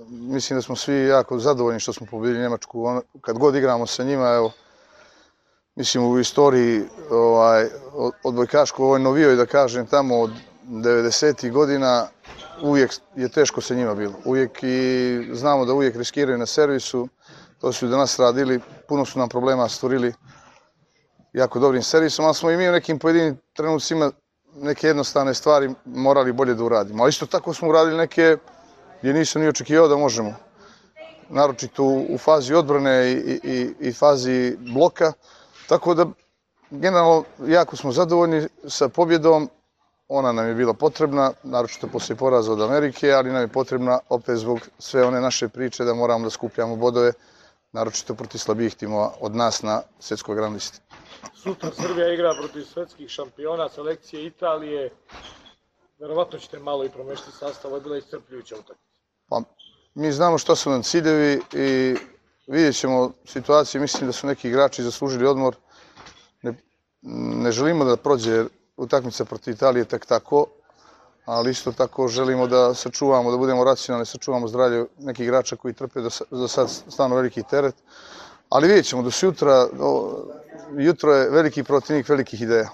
mislim da smo svi jako zadovoljni što smo pobedili Njemačku. Kad god igramo sa njima, evo, mislim u istoriji odbojkaškoj, ovoj novijoj, da kažem, tamo od 90. godina, uvijek je teško sa njima bilo. Uvijek i znamo da uvijek riskiraju na servisu. To su danas radili, puno su nam problema stvorili jako dobrim servisom, ali smo i mi u nekim pojedinim trenucima neke jednostavne stvari morali bolje da uradimo. Ali isto tako smo uradili neke gdje nisam ni očekivao da možemo. Naročito u fazi odbrane i fazi bloka. Tako da, generalno, jako smo zadovoljni sa pobjedom. Ona nam je bila potrebna, naročito poslije poraza od Amerike, ali nam je potrebna opet zbog sve one naše priče da moramo da skupljamo bodove, naročito protiv slabijih timova od nas na svjetskoj rang listi. Sutra Srbija igra protiv svetskih šampiona, selekcije Italije. Verovatno ćete malo i promešati sastav, je bila iscrpljujuća utakmica. Pa, mi znamo što su nam ciljevi i vidjet ćemo situaciju. Mislim da su neki igrači zaslužili odmor. Ne želimo da prođe utakmica protiv Italije tek tako, ali isto tako želimo da sačuvamo, da budemo racionalni, sačuvamo zdravlje nekih igrača koji trpe do sad stvarno veliki teret. Ali vidjet ćemo da su jutro je veliki protivnik velikih ideja.